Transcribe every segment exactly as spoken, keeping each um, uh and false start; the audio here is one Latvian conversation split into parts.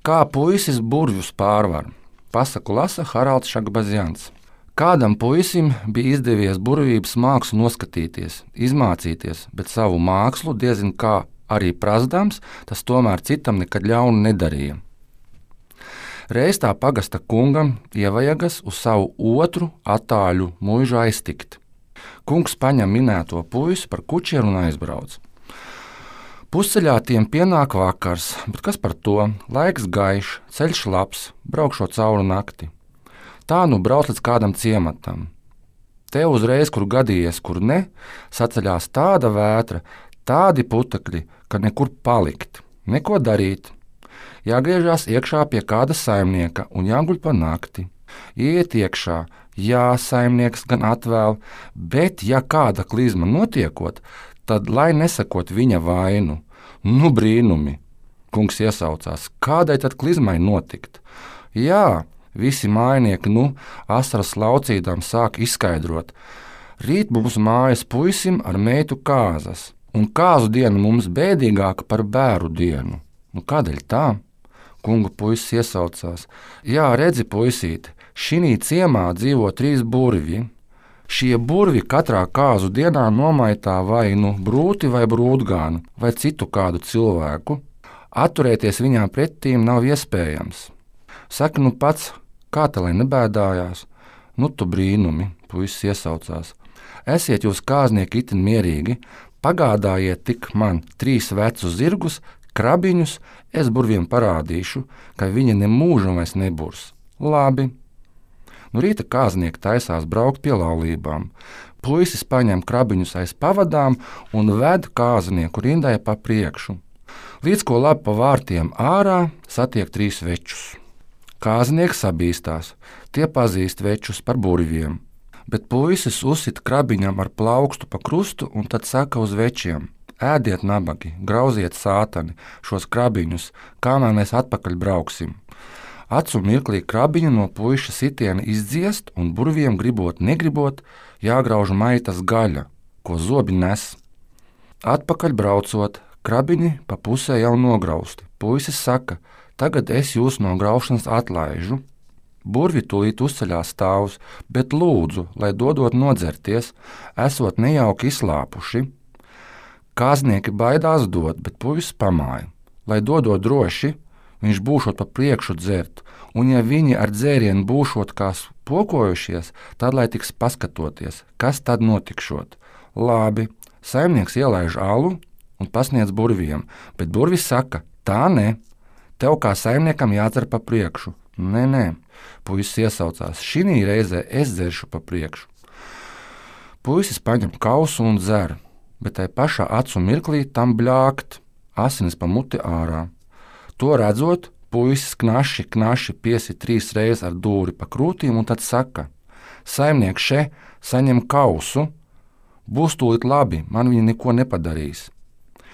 Kā puisis burvjus pārvar? Pasaku lasa Haralds Šakbazjans. Kādam puisim bija izdevies burvības mākslu noskatīties, izmācīties, bet savu mākslu diezin kā arī prasdams, tas tomēr citam nekad ļaunu nedarīja. Reiz tā pagasta kungam ievajagas uz savu otru attāļu muižu aiztikt. Kungs paņem minēto puisi par kučieru un aizbrauc. Pusceļā tiem pienāk vakars, bet kas par to? Laiks gaišs, ceļš labs, braukšot cauri nakti. Tā nu brauc līdz kādam ciematam. Te uzreiz, kur gadījies, kur ne, saceļās tāda vētra, tādi putekļi, ka nekur palikt, neko darīt. Jāgriežās iekšā pie kāda saimnieka un jāguļ pa nakti. Iet iekšā, jā, saimnieks gan atvēl, bet ja kāda klizma notiekot, tad lai nesakot viņa vainu. Nu brīnumi, kungs iesaucās, kādai tad klizmai notikt? Jā, visi mājnieki, nu, asaras laucīdām sāk izskaidrot. Rīt mums mājas puisim ar meitu kāzas, un kāzu diena mums bēdīgāka par bēru dienu. Nu, kādēļ tā? Kunga puisis iesaucās. Jā, redzi, puisīti, šinī ciemā dzīvo trīs burvji. Šie burvji katrā kāzu dienā nomaitā vai nu brūti vai brūtgānu, vai citu kādu cilvēku. Atturēties viņām pretīm nav iespējams. Saka, nu pats, kā te lai nebēdājās? Nu tu brīnumi, puisis iesaucās. Esiet jūs kāznieki itin mierīgi, pagādājiet tik man trīs vecus zirgus, krabiņus, es burviem parādīšu, ka viņi nemūžam vairs neburs. Labi. Nu rīta kāznieki taisās braukt pie laulībām. Puisis paņem krabiņus aiz pavadām un ved kāznieku rindai pa priekšu. Līdz ko labi pa vārtiem ārā satiek trīs večus. Kāznieks sabīstās, tie pazīst večus par burviem, bet puisis uzsit krabiņam ar plaukstu pa krustu un tad saka uz večiem: ēdiet nabagi, grauziet sātani šos krabiņus, kamēr mēs atpakaļ brauksim. Acu mirklī krabiņu no puiša sitiena izdziest un burviem gribot negribot jāgrauž maitas gaļa, ko zobi nes. Atpakaļ braucot, krabiņi pa pusē jau nograusti. Puisis saka: tagad es jūs no graušanas atlaižu. Burvi tūlīt uzceļās stāvus, bet lūdzu, lai dodot nodzerties, esot nejauki izslāpuši. Kāznieki baidās dot, bet puisis pamāja. Lai dodot droši, viņš būšot pa priekšu dzert, un ja viņi ar dzērienu būšot kā pokojušies, tad lai tiks paskatoties, kas tad notikšot. Labi, saimnieks ielaiž alu un pasniedz burviem, bet burvis saka: tā ne, tev kā saimniekam jādzer pa priekšu. Nē, nē, puisis iesaucās, šinī reizē es dzeršu pa priekšu. Puisis paņem kausu un dzer, bet tai pašā acu mirklī tam bļākt, asinis pa muti ārā. To redzot, puisis knaši, knaši piesit trīs reizes ar dūri pa krūtīm un tad saka: saimnieks še, saņem kausu, būs tūlīt labi, man viņi neko nepadarīs.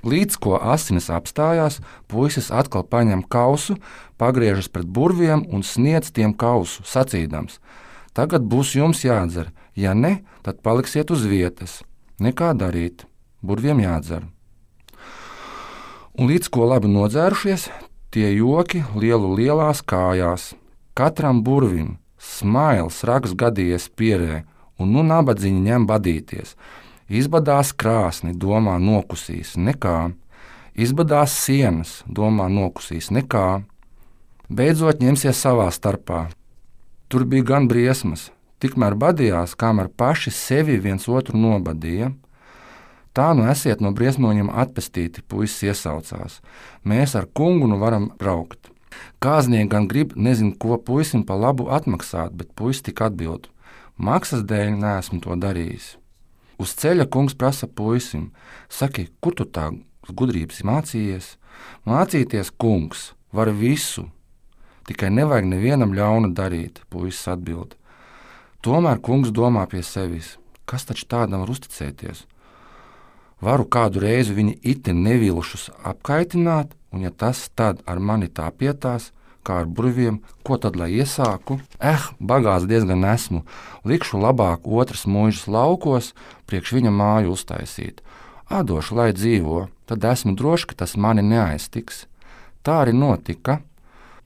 Līdz ko asinis apstājās, puisis atkal paņem kausu, pagriežas pret burviem un sniedz tiem kausu, sacīdams: tagad būs jums jādzer, ja ne, tad paliksiet uz vietas. Nekā darīt, burviem jādzer. Un līdz ko labi nodzērušies, tie joki lielu lielās kājās. Katram burvim smails rags gadījies pierē, un nu nabadziņi ņem badīties. Izbadās krāsni, domā nokusīs, nekā. Izbadās sienas, domā nokusīs, nekā. Beidzot ņemsies savā starpā. Tur bija gan briesmas, tikmēr badījās, kamēr paši sevi viens otru nobadīja. Tā nu esiet no briesmoņiem atpestīti, puisis iesaucās. Mēs ar kungu nu varam braukt. Kāznieki gan grib nezinu, ko puisim pa labu atmaksāt, bet puisis tik atbild: maksas dēļ neesmu to darījis. Uz ceļa kungs prasa puisim: saki, kur tu tā gudrības mācījies? Mācīties, kungs, var visu, tikai nevajag nevienam ļaunu darīt, puisis atbild. Tomēr kungs domā pie sevis: kas taču tādam var uzticēties? Varu kādu reizi viņi itin nevilšus apkaitināt, un ja tas tad ar mani tā pietās, kā ar burviem, ko tad lai iesāku? Eh, bagāts diezgan esmu, likšu labāk otras mūžas laukos, priekš viņa māju uztaisīt. Atdošu, lai dzīvo, tad esmu droši, ka tas mani neaiztiks. Tā arī notika.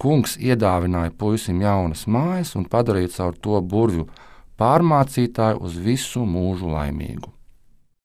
Kungs iedāvināja puisim jaunas mājas un padarīja caur to burvju pārmācītāju uz visu mūžu laimīgu.